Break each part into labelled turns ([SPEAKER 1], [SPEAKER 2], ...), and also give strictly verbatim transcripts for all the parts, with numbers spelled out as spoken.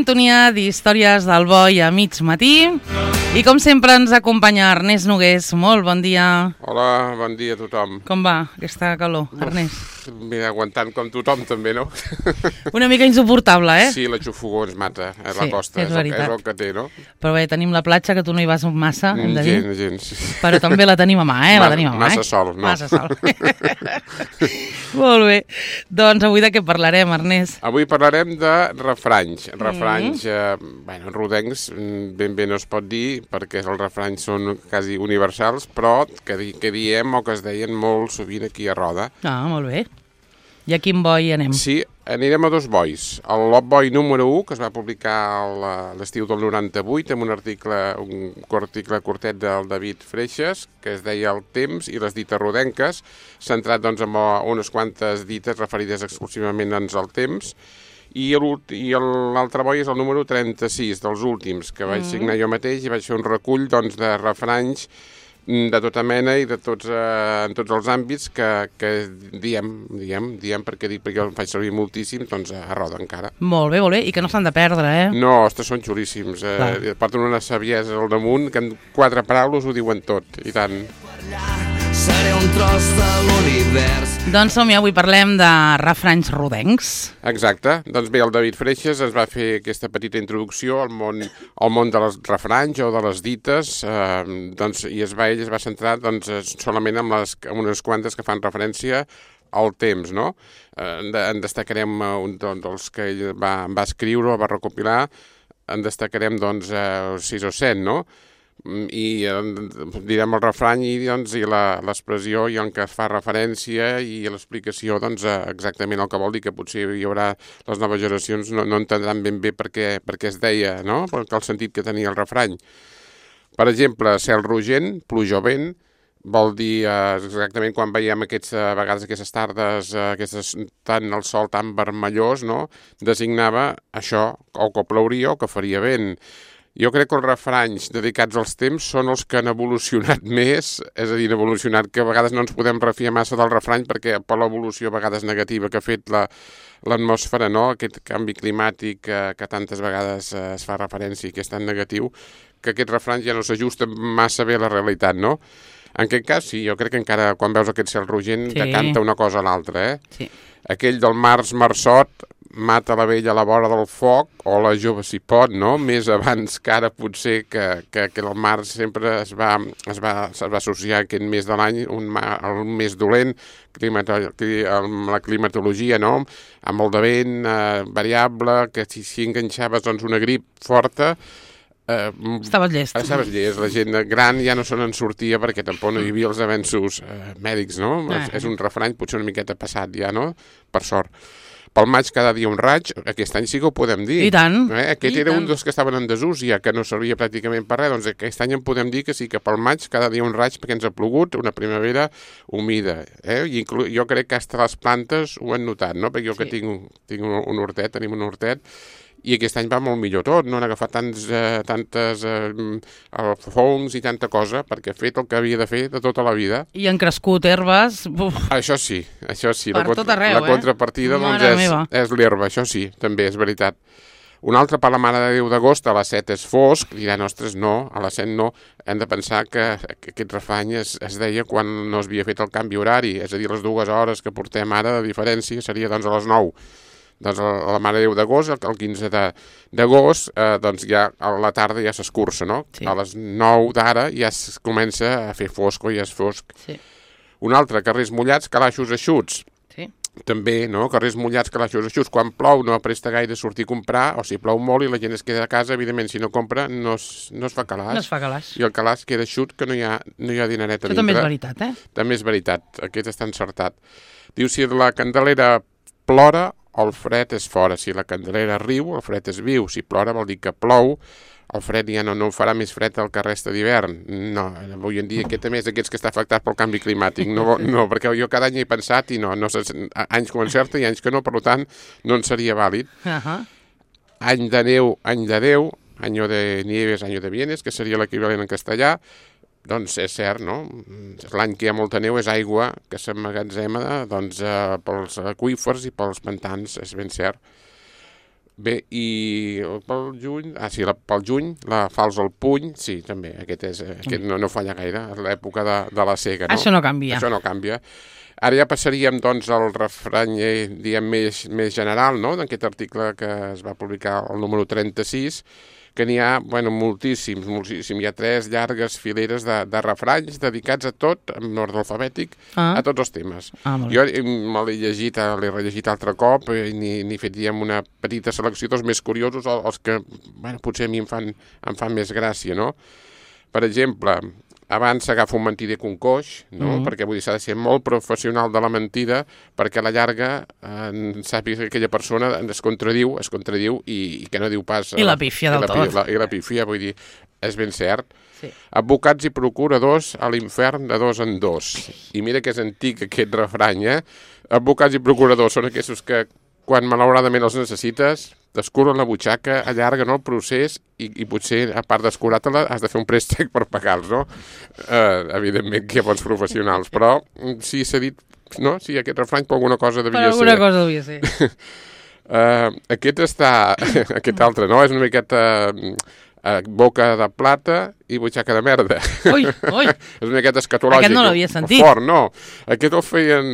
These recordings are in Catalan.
[SPEAKER 1] sintonia d'Històries del Boi a mig matí. I com sempre ens acompanya Ernest Nogués. Molt bon dia.
[SPEAKER 2] Hola, bon dia a tothom.
[SPEAKER 1] Com va aquesta calor, Ernest?
[SPEAKER 2] Mira, aguantant com tothom també, no?
[SPEAKER 1] Una mica insuportable, eh?
[SPEAKER 2] Sí, la xufugó ens mata a
[SPEAKER 1] Sí,
[SPEAKER 2] la costa,
[SPEAKER 1] és
[SPEAKER 2] és, el,
[SPEAKER 1] veritat.
[SPEAKER 2] és el que té, no?
[SPEAKER 1] Però bé, tenim la platja, que tu no hi vas massa, hem de dir.
[SPEAKER 2] Gens, gens.
[SPEAKER 1] Però també la tenim a mà, eh? La
[SPEAKER 2] Ma-
[SPEAKER 1] tenim a mà,
[SPEAKER 2] massa
[SPEAKER 1] eh?
[SPEAKER 2] sol, no.
[SPEAKER 1] Massa sol. Molt bé. Doncs avui de què parlarem, Ernest?
[SPEAKER 2] Avui parlarem de refranys. Refranys, eh, bueno, rodencs, mm, ben bé no es pot dir, perquè els refranys són quasi universals, però que, di que diem o que es deien molt sovint aquí a Roda.
[SPEAKER 1] Ah, molt bé. I a quin boi anem?
[SPEAKER 2] Sí, anirem a dos bois. El Lot Boi número u, que es va publicar a l'estiu del noranta-vuit, amb un article, un article curtet del David Freixas, que es deia El temps i les dites rodenques, centrat doncs, en unes quantes dites referides exclusivament doncs, al temps, i l'altre boi és el número trenta-sis, dels últims, que vaig signar jo mateix i vaig fer un recull doncs, de refranys de tota mena i de tots, eh, en tots els àmbits que, que diem, diem, diem perquè dic perquè el faig servir moltíssim, doncs a Roda encara.
[SPEAKER 1] Molt bé, molt bé. I que no s'han de perdre, eh?
[SPEAKER 2] No, ostres, són xulíssims. Eh, porten una saviesa al damunt que en quatre paraules ho diuen tot, i tant.
[SPEAKER 3] Seré un tros de l'univers.
[SPEAKER 1] Doncs som-hi, avui parlem de refranys rodencs.
[SPEAKER 2] Exacte. Doncs bé, el David Freixas ens va fer aquesta petita introducció al món, al món de les refranys o de les dites, eh, doncs, i es va, ell es va centrar doncs, solament en, les, en unes quantes que fan referència al temps, no? Eh, en destacarem un dels que ell va, va escriure o va recopilar, en destacarem doncs, eh, sis o set, no? I eh, direm el refrany i, doncs, i l'expressió i en què es fa referència i l'explicació doncs, exactament el que vol dir, que potser hi haurà les noves generacions no, no entendran ben bé per què, per què es deia, no? Perquè el sentit que tenia el refrany. Per exemple, cel rogent, pluja o vent, vol dir eh, exactament quan veiem aquests, a vegades aquestes tardes, eh, aquestes, tant el sol tan vermellós, no? Designava això, o que plouria o que faria vent. Jo crec que els refranys dedicats als temps són els que han evolucionat més, és a dir, han evolucionat, que a vegades no ens podem refiar massa del refrany perquè per l'evolució a vegades negativa que ha fet l'atmosfera, no? Aquest canvi climàtic que, que tantes vegades es fa referència i que és tan negatiu, que aquest refrany ja no s'ajusta massa bé a la realitat, no? En aquest cas, sí, jo crec que encara quan veus aquest cel rogent
[SPEAKER 1] Sí.
[SPEAKER 2] decanta una cosa a l'altra, eh?
[SPEAKER 1] Sí.
[SPEAKER 2] Aquell del març marçot, mata la vella a la vora del foc, o la jove si pot, no? Més abans que ara potser que, que, que el març sempre es va, es va, es va associar aquest mes de l'any, un mar, el més dolent, climato, amb la climatologia, no? Amb el de vent eh, variable, que si, si enganxaves doncs, una grip forta, Eh,
[SPEAKER 1] Estaves llest.
[SPEAKER 2] Estaves llest. La gent gran ja no se n'en sortia perquè tampoc no hi havia els avenços eh, mèdics, no?
[SPEAKER 1] Ah.
[SPEAKER 2] És, és un refrany potser una miqueta passat ja, no? Per sort. Pel maig cada dia un raig, aquest any sí que ho podem dir.
[SPEAKER 1] I tant.
[SPEAKER 2] Eh? Aquest
[SPEAKER 1] I
[SPEAKER 2] era
[SPEAKER 1] tant.
[SPEAKER 2] un dels que estaven en desús ja, que no servia pràcticament per res, doncs aquest any en podem dir que sí, que pel maig cada dia un raig perquè ens ha plogut, una primavera humida. Eh? I inclu jo crec que fins les plantes ho han notat, no? Perquè jo
[SPEAKER 1] Sí.
[SPEAKER 2] que tinc, tinc un, un hortet, tenim un hortet, i aquest any va molt millor tot, no han agafat tants, eh, tantes eh, fongs i tanta cosa, perquè ha fet el que havia de fer de tota la vida.
[SPEAKER 1] I han crescut herbes. Uf,
[SPEAKER 2] Això sí, això sí.
[SPEAKER 1] Per
[SPEAKER 2] la,
[SPEAKER 1] tot arreu,
[SPEAKER 2] la
[SPEAKER 1] eh?
[SPEAKER 2] contrapartida doncs,
[SPEAKER 1] Mare
[SPEAKER 2] és,
[SPEAKER 1] meva.
[SPEAKER 2] és l'herba, això sí, també és veritat. Un altre per la Mare de Déu d'agost, a les set és fosc, diran, ostres, no, a les set no. Hem de pensar que, que aquest refrany es, es deia quan no es havia fet el canvi horari, és a dir, les dues hores que portem ara de diferència seria doncs a les nou. Doncs a la Mare de Déu d'agost, el quinze d'agost, eh, doncs ja a la tarda ja s'escurça, no?
[SPEAKER 1] Sí.
[SPEAKER 2] A les nou d'ara ja es comença a fer fosc o ja és fosc.
[SPEAKER 1] sí,
[SPEAKER 2] Un altre, carrers mullats, calaixos eixuts.
[SPEAKER 1] sí.
[SPEAKER 2] També, no? Carrers mullats, calaixos eixuts. Quan plou no presta gaire sortir a comprar, o si plou molt i la gent es queda a casa, evidentment, si no compra, no es, no es fa calaix.
[SPEAKER 1] No es fa calaix.
[SPEAKER 2] I el calaix queda eixut, que no hi ha, no hi ha dineret a
[SPEAKER 1] Això
[SPEAKER 2] dintre.
[SPEAKER 1] també és veritat, eh?
[SPEAKER 2] També és veritat, aquest està encertat. Diu, si la candelera plora, el fred és fora. Si la candelera riu, el fred és viu. Si plora vol dir que plou, el fred ja no, no farà més fred el que resta d'hivern. No, avui en dia aquest també és d'aquests que està afectat pel canvi climàtic. No, no, perquè jo cada any he pensat i no, no anys que ho encerta i anys que no, per tant, no en seria vàlid.
[SPEAKER 1] Uh -huh.
[SPEAKER 2] Any de neu, any de Déu, año de nieves, año de bienes, que seria l'equivalent en castellà. Doncs és cert, no? L'any que hi ha molta neu és aigua que s'emmagatzema doncs, eh, pels aqüífers i pels pantans, és ben cert. Bé, i pel juny, ah sí, la, pel juny, la falç al puny, sí, també, aquest, és, aquest no, no falla gaire, és l'època de, de la sega, no?
[SPEAKER 1] Això no canvia.
[SPEAKER 2] Això no canvia. Ara ja passaríem, doncs, al refrany, eh, diguem, més, més general, no?, d'aquest article que es va publicar el número trenta-sis, que n'hi ha, bueno, moltíssims, moltíssims. Hi ha tres llargues fileres de, de refranys dedicats a tot, en ordre alfabètic, ah. a tots els temes.
[SPEAKER 1] Ah,
[SPEAKER 2] jo me l'he llegit, l'he rellegit altre cop, i n'hi fet, diguem, una petita selecció dels més curiosos, els que, bueno, potser a mi em fan, em fan més gràcia, no? Per exemple, abans s'agafa un mentider que un coix, no? Mm. Perquè vull dir, s'ha de ser molt professional de la mentida perquè a la llarga eh, sàpiga que aquella persona es contradiu, es contradiu i, i que no diu pas...
[SPEAKER 1] I la pífia del tot.
[SPEAKER 2] La, I la pífia, vull dir, és ben cert.
[SPEAKER 1] Sí.
[SPEAKER 2] Advocats i procuradors a l'infern de dos en dos. I mira que és antic aquest refrany, eh? Advocats i procuradors són aquests que quan malauradament els necessites, descuren la butxaca, allarguen el procés i, i potser, a part d'escurar-te-la, has de fer un préstec per pagar-los, no? Uh, evidentment que hi ha bons professionals, però sí, s'ha dit, no? Sí, aquest refrany per alguna cosa devia
[SPEAKER 1] ser. Per alguna
[SPEAKER 2] ser.
[SPEAKER 1] cosa devia ser.
[SPEAKER 2] uh, aquest està, aquest altre, no? És una miqueta... Uh, boca de plata i butxaca de merda.
[SPEAKER 1] Ui, ui.
[SPEAKER 2] És una miqueta escatològic.
[SPEAKER 1] Aquest no l'havia sentit.
[SPEAKER 2] Fort, no. Aquest el feien...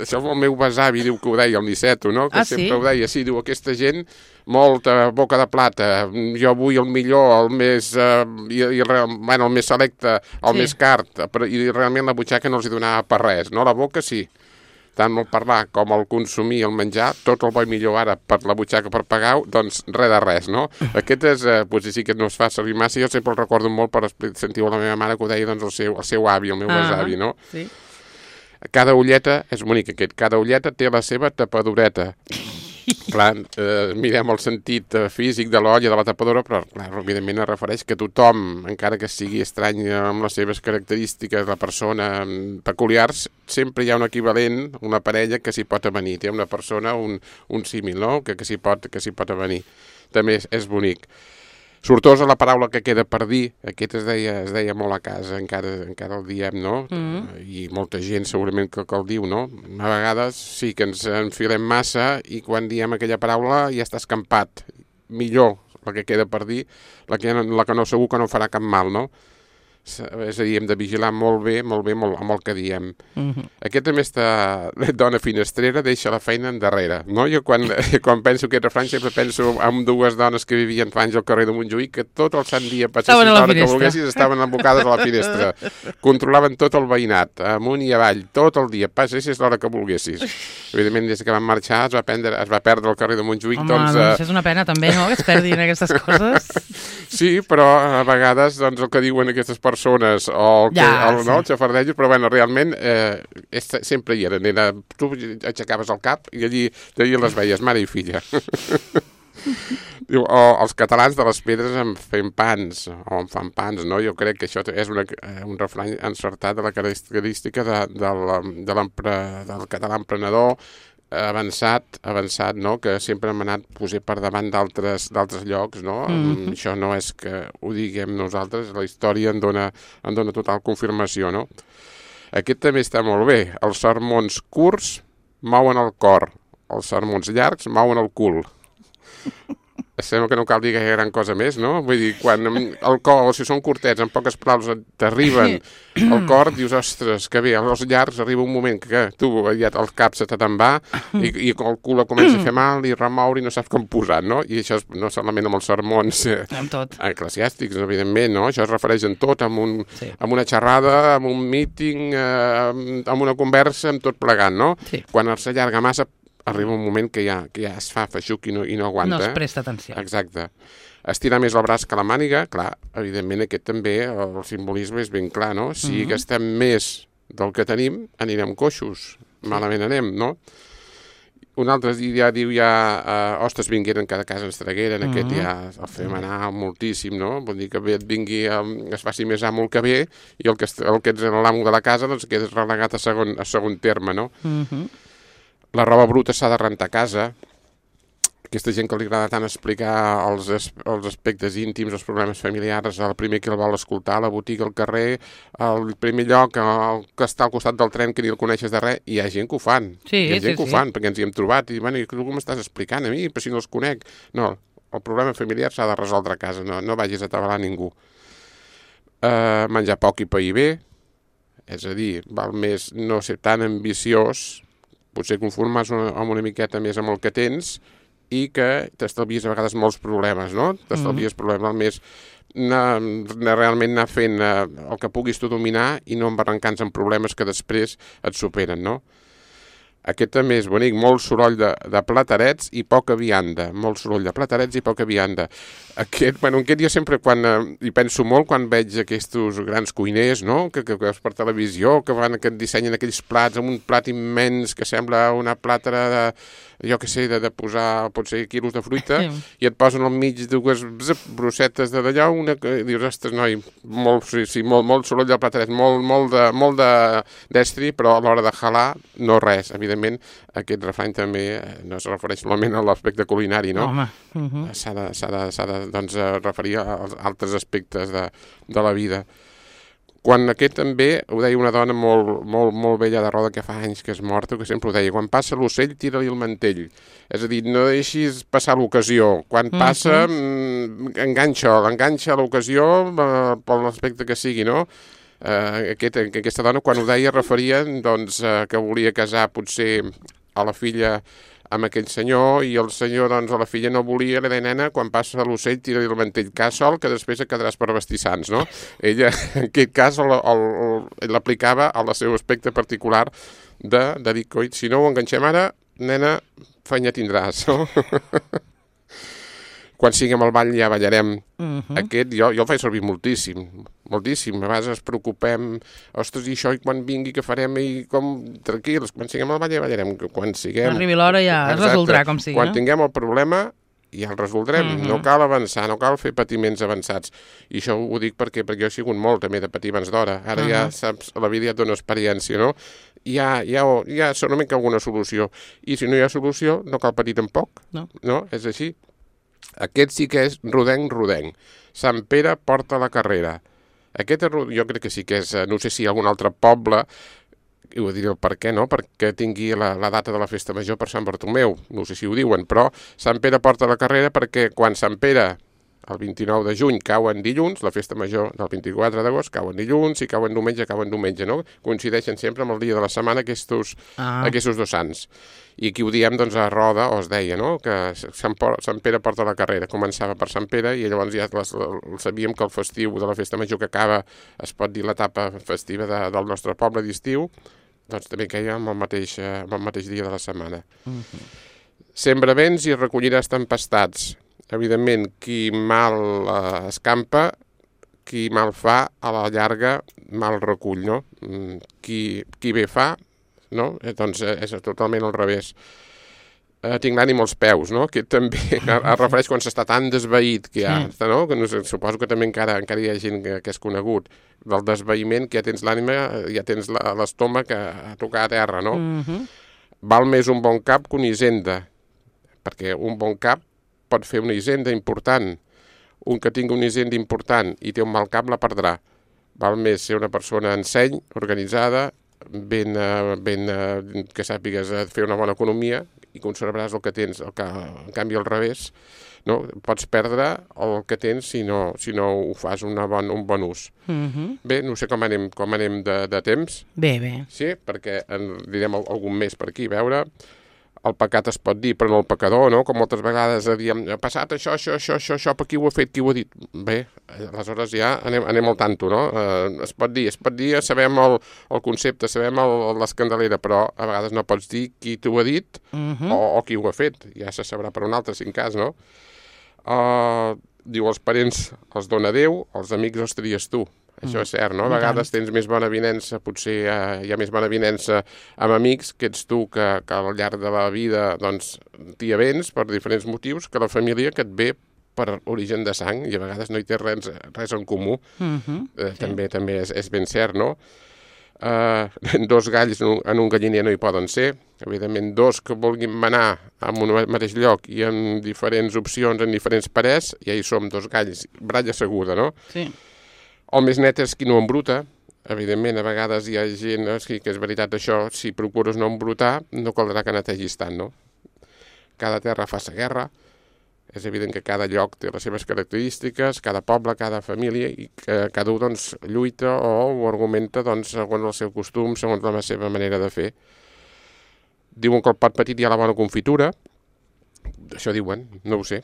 [SPEAKER 2] Això el meu besavi diu que ho deia, el Niceto, no? Que
[SPEAKER 1] ah,
[SPEAKER 2] sempre
[SPEAKER 1] sí?
[SPEAKER 2] ho deia. Sí, diu, aquesta gent, molta boca de plata, jo vull el millor, el més, uh, i, i, bueno, el més selecte, el sí. més car, i realment la butxaca no els hi donava per res, no? La boca sí. Tant el parlar com el consumir, el menjar, tot el bo i millor ara per la butxaca per pagar-ho, doncs res de res, no? Aquest és, eh, potser sí que no es fa servir massa, jo sempre el recordo molt per sentir-ho a la meva mare que ho deia doncs, el, seu, el seu avi, el meu ah, besavi, no?
[SPEAKER 1] Sí.
[SPEAKER 2] Cada ulleta, és bonic aquest, cada ulleta té la seva tapadureta. Clar, eh, mirem el sentit eh, físic de l'olla, de la tapadora, però clar, evidentment es refereix que tothom, encara que sigui estrany amb les seves característiques, la persona peculiars, sempre hi ha un equivalent, una parella que s'hi pot avenir. Té una persona, un, un símil, no?, que, que s'hi pot, que s'hi pot avenir. També és, és bonic. Sortosa la paraula que queda per dir, aquest es deia, es deia molt a casa, encara, encara el diem, no? Mm. I molta gent segurament que, que el diu, no? A vegades sí que ens enfilem massa i quan diem aquella paraula ja està escampat. Millor la que queda per dir, la que, la que no segur que no farà cap mal, no? És a dir, hem de vigilar molt bé, molt bé molt, amb el que diem. Mm-hmm. Aquest també està... Dona finestrera deixa la feina endarrere, no? Jo quan, quan penso aquest refrany sempre penso en dues dones que vivien fa anys al carrer de Montjuïc que tot el sant dia passessin l'hora que volguessis estaven embocades a la finestra. Controlaven tot el veïnat, amunt i avall, tot el dia, passessis l'hora que volguessis. Evidentment, des que van marxar es va, prendre, es va perdre el carrer de Montjuïc.
[SPEAKER 1] Home,
[SPEAKER 2] doncs,
[SPEAKER 1] doncs uh... és una pena també, no?, que es perdin aquestes coses.
[SPEAKER 2] Sí, però a vegades doncs, el que diuen aquestes persones persones o el, que, ja, el, no, sí. el xafardejos, però bueno, realment eh, és, sempre hi eren. Era, tu aixecaves el cap i allí, allí les veies, mare i filla. Diu, o els catalans de les pedres en fem pans, o en fan pans, no? Jo crec que això és una, un refrany encertat de la característica de, de la, de del català emprenedor, avançat, avançat, no?, que sempre hem anat posar per davant d'altres d'altres llocs, no? Mm-hmm. Això no és que ho diguem nosaltres, la història en dona, en dona total confirmació, no? Aquest també està molt bé. Els sermons curts mouen el cor, els sermons llargs mouen el cul. Sembla que no cal dir gaire gran cosa més, no? Vull dir, quan el cor, o si són curtets, en poques paraules t'arriben al cor, dius, ostres, que bé, als llargs arriba un moment que tu ja el cap se te te'n va i, i el cul comença a fer mal i remoure i no saps com posar, no? I això és, no solament amb els sermons eh, eclesiàstics, evidentment, no? Això es refereix en tot, amb, un, sí. amb una xerrada, amb un míting, eh, amb una conversa, amb tot plegant, no? Sí. Quan s'allarga massa, arriba un moment que ja, que ja es fa feixuc i no, i no aguanta.
[SPEAKER 1] No es presta atenció.
[SPEAKER 2] Exacte. Estirar més el braç que la màniga, clar, evidentment aquest també, el simbolisme és ben clar, no? Si mm-hmm. gastem més del que tenim, anirem coixos, malament anem, no? Un altre dia diu ja, uh, ostres, vingueren, cada casa ens tragueren, mm-hmm. aquest ja el fem anar moltíssim, no? Vull dir que bé et vingui, um, es faci més amo el que ve, i el que, el que ets l'amo de la casa, doncs quedes relegat a segon, a segon terme, no? Mm-hmm. La roba bruta s'ha de rentar a casa. aquesta gent que li agrada tant explicar els, els aspectes íntims, els problemes familiars, el primer que el vol escoltar, la botiga, al carrer, el primer lloc, el que està al costat del tren que ni el coneixes de res, hi ha gent que ho fan.
[SPEAKER 1] Sí,
[SPEAKER 2] hi ha gent
[SPEAKER 1] sí,
[SPEAKER 2] que ho
[SPEAKER 1] sí.
[SPEAKER 2] fan, perquè ens hi hem trobat, i bueno, tu m'estàs explicant a mi, però si no els conec. No, el problema familiar s'ha de resoldre a casa, no, no vagis a atabalar ningú. Uh, menjar poc i pair bé, és a dir, val més no ser tan ambiciós, potser conformar-se una, amb una miqueta més amb el que tens i que t'estalvies a vegades molts problemes, no? T'estalvies mm. problemes, val més anar, anar, realment anar fent uh, el que puguis tu dominar i no embarrancant-se en problemes que després et superen, no? Aquest també és bonic, molt soroll de, de platerets i poca vianda. Molt soroll de platerets i poca vianda. Aquest, bueno, aquest jo sempre quan, eh, hi penso molt quan veig aquests grans cuiners, no?, que, que, que per televisió, que van, que dissenyen aquells plats amb un plat immens que sembla una plàtera de, jo què sé, de, de posar potser quilos de fruita, sí. I et posen al mig dues zip, brossetes de d'allò, una que dius, ostres, noi, molt, sí, sí, molt, molt soroll de plateret, molt, molt de, molt de destri, però a l'hora de jalar no res. Evidentment, aquest refrany també no es refereix solament a l'aspecte culinari, no?
[SPEAKER 1] Home. Uh-huh.
[SPEAKER 2] S'ha de, s'ha de, s'ha de doncs, referir als altres aspectes de, de la vida. Quan aquest també, ho deia una dona molt, molt, molt vella de roda que fa anys que és morta, que sempre ho deia, quan passa l'ocell, tira-li el mantell. És a dir, no deixis passar l'ocasió. Quan passa, mm-hmm. enganxa, l'enganxa l'ocasió eh, per l'aspecte que sigui, no? Eh, aquest, aquesta dona, quan ho deia, referia doncs, eh, que volia casar potser a la filla amb aquell senyor, i el senyor, doncs, a la filla no volia, li deia, nena, quan passa l'ocell, tira-li el mantell, cas sol, que després et quedaràs per vestir sants, no? Ella, en aquest cas, l'aplicava al seu aspecte particular de, de dir, coi, si no ho enganxem ara, nena, feina tindràs, no? Quan siguem al ball ja ballarem. Uh-huh. Aquest jo, jo el faig servir moltíssim, moltíssim. A vegades ens preocupem, ostres, i això, i quan vingui, què farem, i com, tranquils, quan siguem al ball ja ballarem. Quan siguem...
[SPEAKER 1] Arribi l'hora ja es resoldrà, com sigui.
[SPEAKER 2] Quan
[SPEAKER 1] no?
[SPEAKER 2] tinguem el problema, ja el resoldrem. Uh-huh. No cal avançar, no cal fer patiments avançats. I això ho dic perquè, perquè jo he sigut molt també de patir abans d'hora. Ara uh-huh. ja saps, la vida ja et dona experiència, no? Hi ha, hi ha, hi ha segurament alguna solució. I si no hi ha solució, no cal patir tampoc. No. No? És així. Aquest sí que és rodenc, rodenc. Sant Pere porta la carrera. Aquest jo crec que sí que és, no sé si hi ha algun altre poble, i ho diré el per què, no? Perquè tingui la, la data de la festa major per Sant Bartomeu. No sé si ho diuen, però Sant Pere porta la carrera perquè quan Sant Pere, el vint-i-nou de juny, cau en dilluns, la festa major del vint-i-quatre d'agost cau en dilluns, i cau en diumenge, cau en diumenge, no? Coincideixen sempre amb el dia de la setmana aquests, ah. aquests dos sants. I aquí ho diem, doncs, a Roda, o es deia, no?, que Sant, Sant Pere porta la carrera. Començava per Sant Pere i llavors ja les, sabíem que el festiu de la festa major que acaba, es pot dir l'etapa festiva de, del nostre poble d'estiu, doncs també queia amb el mateix, amb el mateix dia de la setmana. Uh-huh. Sembra vents i recolliràs tempestats. Evidentment, qui mal eh, escampa, qui mal fa, a la llarga mal recull, no? Qui, qui bé fa, no? Eh, doncs eh, és totalment al revés. Eh, tinc l'ànim als peus, no? Que també es refereix quan s'està tan desveït que hi ha, sí. no? Que no sé, suposo que també encara, encara hi ha gent que, que és conegut del desveïment, que ja tens l'ànima, ja tens l'estómac a, a tocar a terra, no? Uh-huh. Val més un bon cap que una hisenda, perquè un bon cap pot fer una hisenda important. Un que tingui una hisenda important i té un mal cap la perdrà. Val més ser una persona enseny, organitzada, ben, ben, que sàpigues fer una bona economia i conservaràs el que tens. El que, en canvi, al revés, no? Pots perdre el que tens si no, si no ho fas una bon, un bon ús. Uh-huh. Bé, no sé com anem, com anem de, de temps.
[SPEAKER 1] Bé, bé.
[SPEAKER 2] Sí, perquè en direm algun més per aquí, a veure... El pecat es pot dir, però no el pecador, no? Com moltes vegades diem, ha passat això, això, això, això, això, per qui ho ha fet, qui ho ha dit? Bé, aleshores ja anem, anem al tanto, no? Eh, es pot dir, es pot dir, sabem el, el concepte, sabem l'escandalera, però a vegades no pots dir qui t'ho ha dit uh-huh. o, o qui ho ha fet. Ja se sabrà per un altre, si en cas, no? Uh, diu, els parents els dona Déu, els amics els tries tu. Això és cert, no? A vegades tens més bona avinença, potser eh, hi ha més bona avinença amb amics, que ets tu que, que al llarg de la vida doncs, t'hi avens per diferents motius, que la família que et ve per origen de sang, i a vegades no hi té res, res en comú. Uh-huh. eh, sí. També també és, és ben cert, no? Uh, dos galls en un, en un galliner no hi poden ser, evidentment dos que vulguin manar en un mateix lloc i en diferents opcions, en diferents parers, ja hi som dos galls, bralla seguda, no?
[SPEAKER 1] Sí.
[SPEAKER 2] El més net és qui no embruta, evidentment a vegades hi ha gent, no? Sí, que és veritat això, si procures no embrutar, no caldrà que netegis tant, no? Cada terra fa sa guerra, és evident que cada lloc té les seves característiques, cada poble, cada família, i que cada un doncs, lluita o ho argumenta doncs, segons el seu costum, segons la seva manera de fer. Diuen que el pot petit hi ha la bona confitura, això diuen, no ho sé.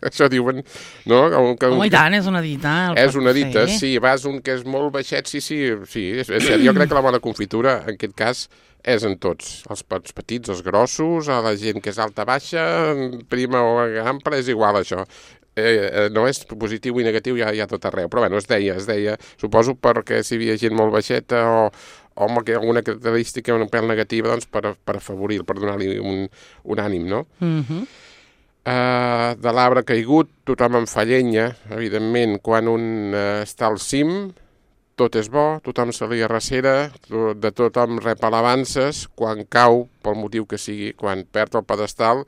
[SPEAKER 2] Això diuen, no? Que,
[SPEAKER 1] Home, i tant, és una dita.
[SPEAKER 2] És una dita, fer. Sí, vas un que és molt baixet, sí, sí, sí, és, és cert. Jo crec que la bona confitura, en aquest cas, és en tots, els pots petits, els grossos, a la gent que és alta, baixa, prima o ampla, és igual això. Eh, no és positiu i negatiu, hi ha, hi ha tot arreu, però bueno, es deia, es deia, suposo perquè si hi havia gent molt baixeta o, o amb alguna característica un pèl negativa, doncs per, per afavorir, per donar-li un, un ànim, no?
[SPEAKER 1] Mhm.
[SPEAKER 2] Uh, de l'arbre caigut, tothom en fa llenya, evidentment, quan un uh, està al cim, tot és bo, tothom se li arrecera, de tothom rep alabances, quan cau, pel motiu que sigui, quan perd el pedestal,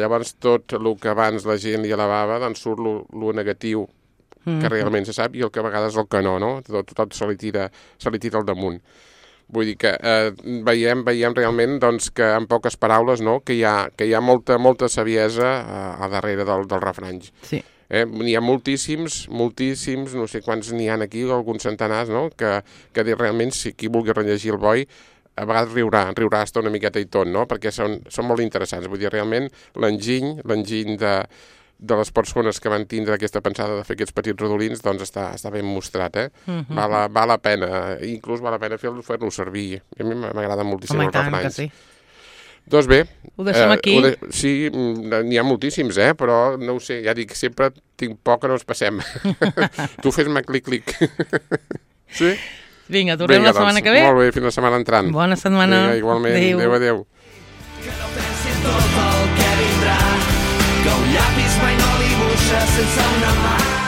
[SPEAKER 2] llavors tot el que abans la gent li alabava, doncs surt el negatiu mm-hmm. que realment se sap i el que a vegades el que no, no? Tot, tot se li tira, se li tira al damunt. Vull dir que eh, veiem, veiem realment doncs, que en poques paraules no? que, hi ha, que hi ha molta, molta saviesa a, a darrere del, del refranys.
[SPEAKER 1] Sí.
[SPEAKER 2] Eh, n'hi ha moltíssims, moltíssims, no sé quants n'hi ha aquí, alguns centenars, no? que, que realment si qui vulgui rellegir el boi a vegades riurà, riurà hasta una miqueta i tot, no? Perquè són, són molt interessants. Vull dir, realment l'enginy, l'enginy de, de les persones que van tindre aquesta pensada de fer aquests petits rodolins, doncs està, està ben mostrat, eh? Uh-huh. Val, la, val la pena, inclús val la pena fer-lo fer servir. A mi m'agrada moltíssim
[SPEAKER 1] Home,
[SPEAKER 2] els refranys.
[SPEAKER 1] Sí.
[SPEAKER 2] Doncs bé...
[SPEAKER 1] Ho deixem eh, aquí?
[SPEAKER 2] Ho de... Sí, n'hi ha moltíssims, eh? Però no ho sé, ja dic, sempre tinc por que no ens passem. Tu fes-me clic-clic. Sí?
[SPEAKER 1] Vinga, tornem Vinga, la setmana doncs, que ve.
[SPEAKER 2] Molt bé, fins la setmana entrant.
[SPEAKER 1] Bona setmana.
[SPEAKER 2] Vinga, igualment. Adéu, adéu. adéu.
[SPEAKER 3] Que no pensi en tot el que vindrà, que un llapis mai no dibuixa sense una mà.